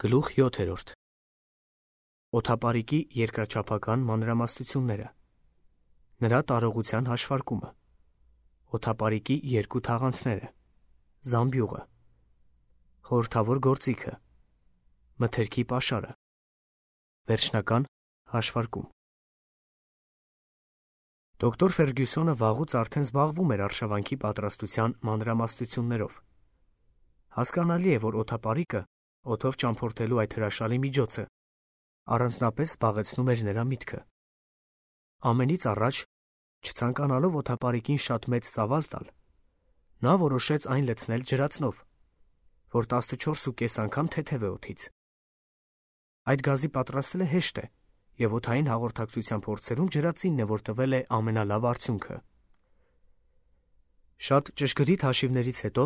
Գլուխ 7. Օդապարիկի երկրաչափական մանրամասնությունները, նրա տարողության հաշվարկումը, օդապարիկի երկու թաղանթները, զամբյուղը, խորհրդավոր գործիքը, մթերքի պաշարը, վերջնական հաշվարկում։ Դոկտոր Ֆերգյուսոնը վաղուց արդեն զբաղվում էր արշավանքի պատրաստության մանրամասնություններով։ Հասկանալի է, որ օդապարիկը օդով ճամփորդելու այդ հրաշալի միջոցը առանձնապես զբաղեցնում էր նրա միտքը։ Ամենից առաջ, չցանկանալով օդապարիկին շատ մեծ ծավալ տալ, նա որոշեց այն լցնել ջրածնով, որ 14.5 անգամ թեթև է օդից։ Այդ գազի պատրաստելը հեշտ է, եւ օդային հաղորդակցության փորձերում ջրածինն է, որ տվել է ամենալավ արդյունքը։ Շատ ճշգրիտ հաշիվներից հետո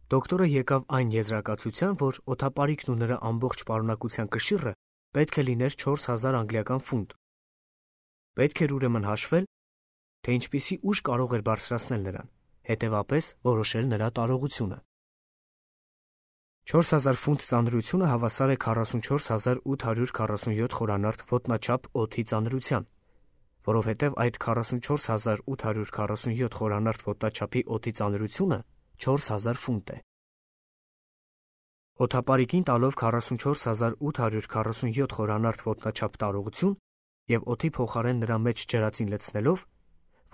դոկտորը եկավ այն եզրակացության, որ օդապարիկն ու նրա ամբողջ պարունակության կշիռը պետք է լիներ 4000 անգլիական ֆունտ։ Պետք էր ուրեմն հաշվել, թե ինչպիսի ուժ կարող էր բարձրացնել նրան, հետևապես որոշել նրա տարողությունը։ 4000 ֆունտ ծանրությունը հավասար է 44847 խորանարդ ոտնաչափ օդի ծանրության, որովհետև այդ 44847 խորանարդ ոտնաչափի օդի ծանրությունը 4000 ֆունտ է։ Օդապարիկին տալով 44847 խորանարդ ոտնաչափ տարողություն և օդի փոխարեն նրա մեջ ջրածին լցնելով,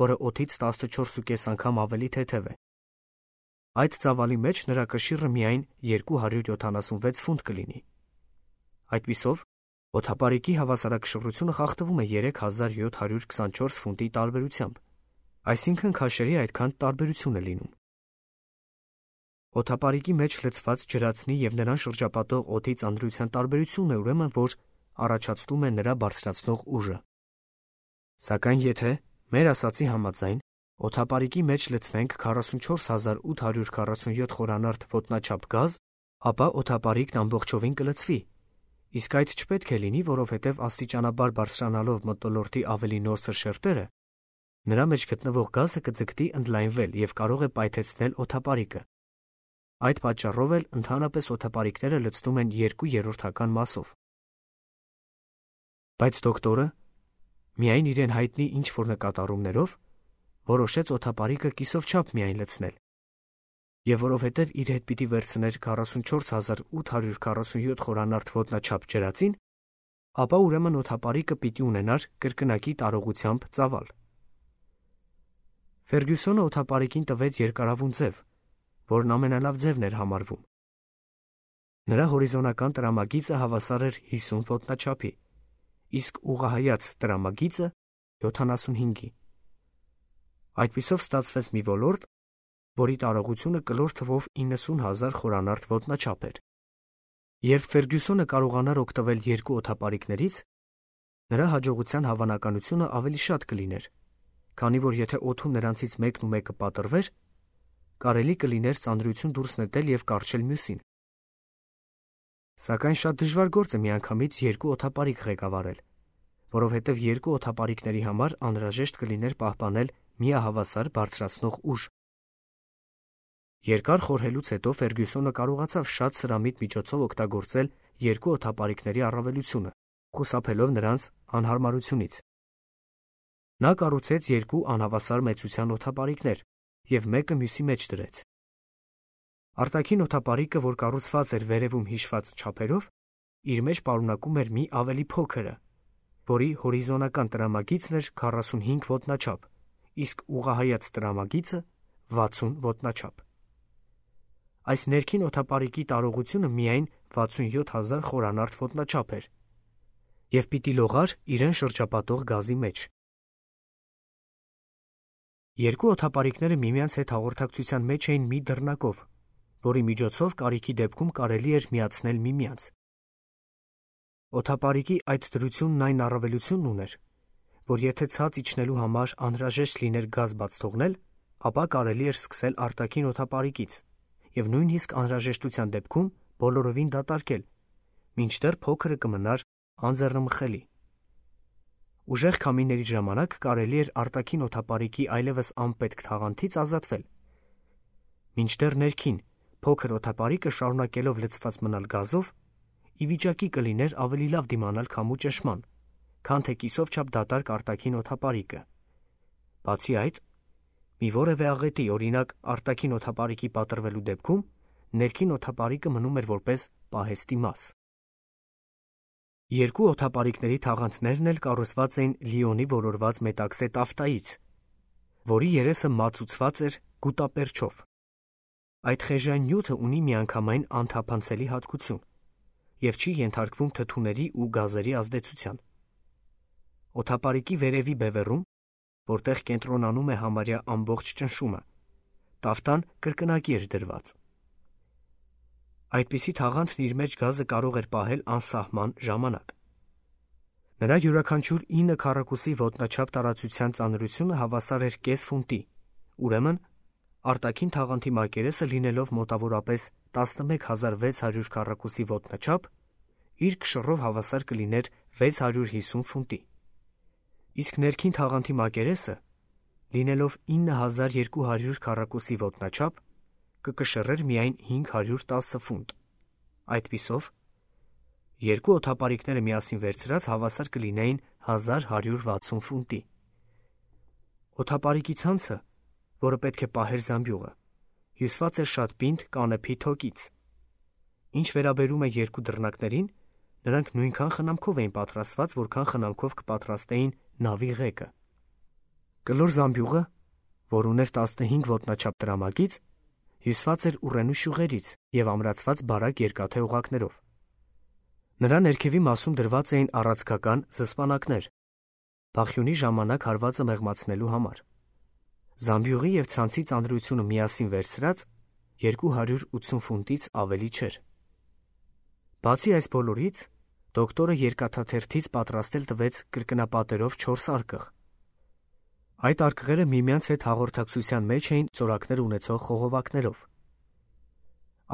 որը օդից 14.5 անգամ ավելի թեթև է, այդ ծավալի մեջ նրա կշիռը միայն 276 ֆունտ կլինի։ Այդպիսով, օդապարիկի հավասարակշռությունը խախտվում է 3724 ֆունտի տարբերությամբ, այսինքն քաշերի այդքան տարբերություն է լինում։ Օդապարիկի մեջ լցված ջրածնի և նրան շրջապատող օդի ծանրության տարբերությունն է ուրեմն, որ առաջացնում է նրա բարձրացնող ուժը։ Սակայն եթե, մեր ասացի համաձայն, օդապարիկի մեջ լցնենք 44847 խորանարդ ոտնաչափ գազ, ապա օդապարիկն ամբողջովին կլցվի, իսկ այդ չպետք է լինի, որովհետև աստիճանաբար բարձրանալով մթնոլորտի ավելի նոսր շերտերը, նրա մեջ գտնվող գազը կձգտի ընդլայնվել և կարող է պայթեցնել օդապարիկը։ Այդ պատճառով էլ ընդհանրապես օդապարիկները լցնում են 2/3 մասով։ Բայց դոկտորը, միայն իրեն հայտնի ինչ-որ նկատառումներով, որոշեց օդապարիկը կիսով չափ միայն լցնել, և որովհետև իր հետ պիտի վերցներ 44847 խորանարդ ոտնաչափ ջրածին, ապա ուրեմն օդապարիկը պիտի ունենար կրկնակի տարողությամբ ծավալ։ Ֆերգյուսոնը օդապարիկին տվեց երկարավուն ձև, որն ամենալավ ձևն էր համարվում։ Նրա հորիզոնական տրամագիծը հավասար էր 50 ոտնաչափի, իսկ ուղղահայաց տրամագիծը 75-ի։ Այդպիսով ստացվեց մի ոլորտ, որի տարողությունը կլոր թվով 90000 խորանարդ ոտնաչափ էր։ Երբ Ֆերգյուսոնը կարողանար օգտվել երկու օդապարիկներից, նրա հաջողության հավանականությունը ավելի շատ կլիներ, քանի որ եթե օդում նրանցից մեկն ու մեկը պատռվեր, կարելի կլիներ ծանրություն դուրս նետել և կառչել մյուսին։ Սակայն շատ դժվար գործ է միանգամից երկու օդապարիկ ղեկավարել, որովհետև երկու օդապարիկների համար անհրաժեշտ կլիներ պահպանել միահավասար բարձրացնող ուժ։ Երկար խորհելուց հետո Ֆերգյուսոնը կարողացավ շատ սրամիտ միջոցով օգտագործել երկու օդապարիկների առավելությունը, խուսափելով նրանց անհարմարությունից։ Նա կառուցեց երկու անհավասար մեծության օդապարիկներ և մեկը մյուսի մեջ դրեց։ Արտաքին օդապարիկը, որ կառուցված էր վերևում հիշված չափերով, իր մեջ պարունակում էր մի ավելի փոքրը, որի հորիզոնական տրամագիծն էր 45 ոտնաչափ, իսկ ուղղահայաց տրամագիծը 60 ոտնաչափ։ Այս ներքին օդապարիկի տարողությունը միայն 67000 խորանարդ ոտնաչափ էր և պիտի լողար իրեն շրջապատող գազի մեջ։ Երկու օդապարիկները միմյանց հետ հաղորդակցության մեջ էին մի դռնակով, որի միջոցով կարիքի դեպքում կարելի էր միացնել միմյանց։ Օդապարիկի այդ դրությունն այն առավելությունն ուներ, որ եթե ցած իջնելու համար անհրաժեշտ լիներ գազ բաց թողնել, ապա կարելի էր սկսել արտաքին օդապարիկից և նույնիսկ անհրաժեշտության դեպքում բոլորովին դատարկել, մինչդեռ փոքրը կմնար անձեռնմխելի։ Ուժեղ քամիների ժամանակ կարելի էր արտաքին օդապարիկի այլևս անպետք թաղանթից ազատվել, մինչդեռ ներքին փոքր օդապարիկը շարունակելով լցված մնալ գազով, ի վիճակի կլիներ ավելի լավ դիմանալ քամու ճնշման, քան թե կիսով չափ դատարկ արտաքին օդապարիկը։ Բացի այդ, մի որևէ աղետի, օրինակ արտաքին օդապարիկի պատրվելու դեպքում, ներքին օդապարիկը մնում էր որպես պահեստի մաս։ Երկու օդապարիկների թաղանթներն էլ կառուցված էին լիոնի ոլորված մետաքսե տաֆտայից, որի երեսը մածուցված էր գուտապերչով։ Այդ խեժային նյութը ունի միանգամայն անթափանցելի հատկություն և չի ենթարկվում թթուների ու գազերի ազդեցության։ Օդապարիկի վերևի բևեռում, որտեղ կենտրոնանում է համարյա ամբողջ ճնշումը, տաֆտան կրկնակի էր դրված։ Այդպիսի թաղանթն իր մեջ գազը կարող էր պահել անսահման ժամանակ։ Նրա յուրաքանչյուր 9 քառակուսի ոտնաչափ տարածության ծանրությունը հավասար էր կես ֆունտի, ուրեմն արտաքին թաղանթի մակերեսը լինելով մոտավորապես 11600 քառակուսի ոտնաչափ, իր կշռով հավասար կլիներ 650 ֆունտի։ Իսկ ներքին թաղանթի մակերեսը, լինելով 9200 քառակուսի ոտնաչափ, կկշռեր միայն 510 ֆունտ։ Այդպիսով, երկու օդապարիկները միասին վերցրած հավասար կլինեին 1160 ֆունտի։ Օդապարիկի ցանցը, որը պետք է պահեր զամբյուղը, հյուսված էր շատ պինդ կանեփի թոկից։ Ինչ վերաբերում է երկու դռնակներին, նրանք նույնքան խնամքով էին պատրաստված, որքան խնամքով կպատրաստեին նավի ղեկը։ Կլոր զամբյուղը, որ ուներ 15 ոտնաչափ տրամագիծ, հյուսված էր ուռենու շյուղերից և ամրացված բարակ երկաթե օղակներով։ Նրա ներքևի մասում դրված էին առանցքական զսպանակներ, բախյունի ժամանակ հարվածը մեղմացնելու համար։ Զամբյուղի և ցանցի ծանրությունը միասին վերցրած 280 ֆունտից ավելի չէր։ Բացի այս բոլորից, դոկտորը երկաթաթերթից պատրաստել տվեց կրկնապատերով 4 արկղ։ Այդ արկղերը միմյանց հետ հաղորդակցության մեջ էին ծորակներ ունեցող խողովակներով։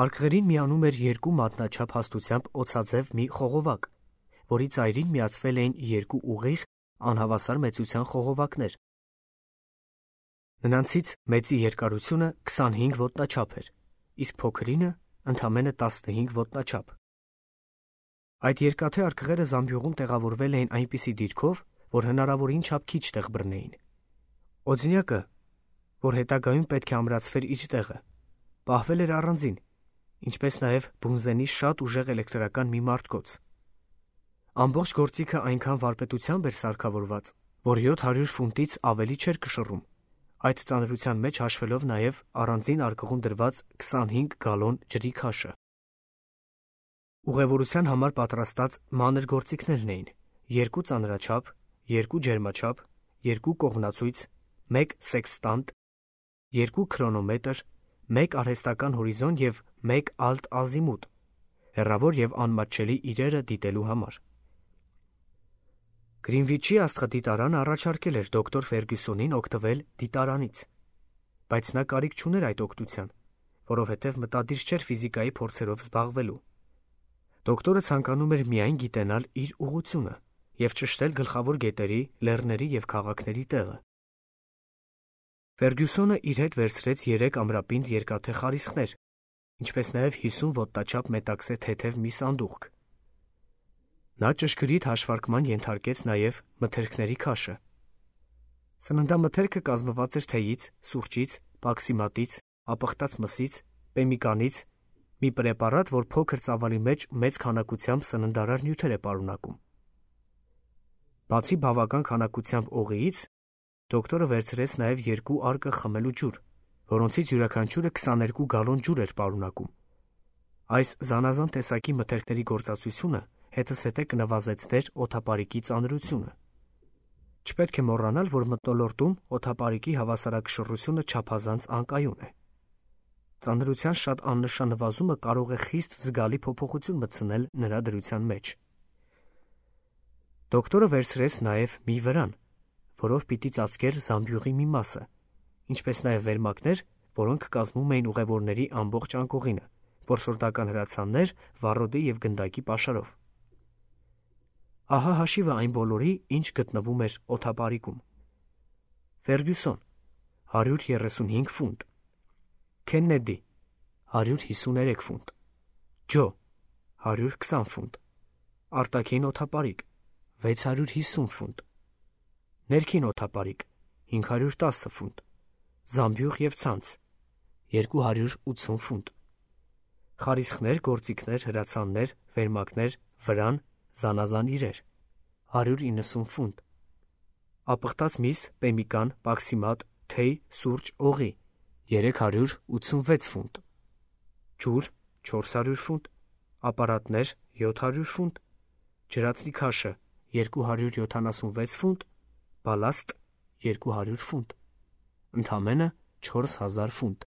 Արկղերին միանում էր 2 մատնաչափ հաստությամբ օձաձև մի խողովակ, որի ծայրին միացվել էին 2 ուղիղ, անհավասար մեծության խողովակներ։ Նրանցից մեծի երկարությունը 25 ոտնաչափ էր, իսկ փոքրինը ընդամենը 15 ոտնաչափ։ Այդ երկաթե արկղերը զամբյուղում տեղավորվել էին այնպիսի դիրքով, որ հնարավորին չափ քիչ տեղ բռնեին։ Օձնյակը, որ հետագայում պետք է ամրացվեր իր տեղը, պահվել էր առանձին, ինչպես նաև բունզենի շատ ուժեղ էլեկտրական մի մարտկոց։ Ամբողջ գործիքը այնքան վարպետությամբ էր սարքավորված, որ 700 ֆունտից ավելի չէր կշռում, այդ ծանրության մեջ հաշվելով նաև առանձին արկղում դրված 25 գալոն ջրի քաշը։ Ուղևորության համար պատրաստած մանր գործիքներն էին՝ 2 ծանրաչափ, 2 ջերմաչափ, 2 կողմնացույց, 1 սեքստանտ, 2 քրոնոմետր, 1 արհեստական հորիզոն և 1 ալտ ազիմուտ, հեռավոր և անմատչելի իրերը դիտելու համար։ Գրինվիչի աստղադիտարանը առաջարկել էր դոկտոր Ֆերգյուսոնին օգտվել դիտարանից, բայց նա կարիք չուներ այդ օգնության, որովհետև մտադիր չէր ֆիզիկայի փորձերով զբաղվելու։ Դոկտորը ցանկանում էր միայն գիտենալ իր ուղղությունը և ճշտել գլխավոր գետերի, լեռների և քաղաքների տեղը։ Ֆերգյուսոնը իր հետ վերցրեց 3 ամրապինդ երկաթե խարիսխներ, ինչպես նաև 50 ոտնաչափ մետաքսե թեթև մի սանդուղք։ Նա ճշգրիտ հաշվարկման ենթարկեց նաև մթերքների քաշը։ Սննդամթերքը կազմված էր թեյից, սուրճից, պաքսիմատից, ապխտած մսից, պեմիկանից, մի պրեպարատ, որ փոքր ծավալի մեջ մեծ քանակությամբ սննդարար նյութեր է պարունակում։ Բացի բավական քանակությամբ օղիից, դոկտորը վերցրեց նաև 2 արկղ խմելու ջուր, որոնցից յուրաքանչյուրը 22 գալոն ջուր էր պարունակում։ Այս զանազան տեսակի մթերքների գործածությունը հետզհետե կնվազեցներ օդապարիկի ծանրությունը։ Չպետք է մոռանալ, որ մթնոլորտում օդապարիկի հավասարակշռությունը չափազանց անկայուն է։ Ծանրության շատ աննշան նվազումը կարող է խիստ զգալի փոփոխություն մտցնել նրա դրության մեջ։ Դոկտորը վերցրեց նաև մի վրան, որով պիտի ծածկեր զամբյուղի մի մասը, ինչպես նաև վերմակներ, որոնք կազմում էին ուղևորների ամբողջ անկողինը, որսորդական հրացաններ, վառոդի և գնդակի պաշարով։ Ահա հաշիվը այն բոլորի, ինչ գտնվում էր օդապարիկում։ Ֆերգյուսոն 135 ֆունտ, Քեննեդի 153 ֆունտ, Ջո 120 ֆունտ, արտաքին օդապարիկ 650 ֆունտ, ներքին օդապարիկ 510 ֆունտ, զամբյուղ և ցանց 280 ֆունտ, խարիսխներ, գործիքներ, հրացաններ, վերմակներ, վրան, զանազան իրեր 190 ֆունտ, ապխտած միս, պեմիկան, պաքսիմատ, թեյ, սուրճ, օղի 386 ֆունտ, ջուր 400 ֆունտ, ապարատներ 700 ֆունտ, ջրածնի քաշը 276 ֆունտ, բալաստ 200 ֆունտ, ընդամենը 4000 ֆունտ։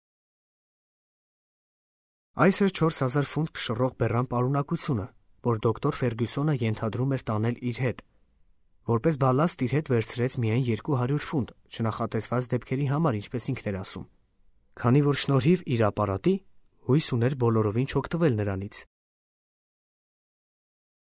Այս էր 4000 ֆունտ կշռող բեռան պարունակությունը, որ դոկտոր Ֆերգյուսոնը ենթադրում էր տանել իր հետ։ Որպես բալաստ իր հետ վերցրեց միայն 200 ֆունտ, չնախատեսված դեպքերի համար, ինչպես ինքն էր ասում, քանի որ շնորհիվ իր ապարատի հույս ուներ բոլորովին չօգտվել նրանից։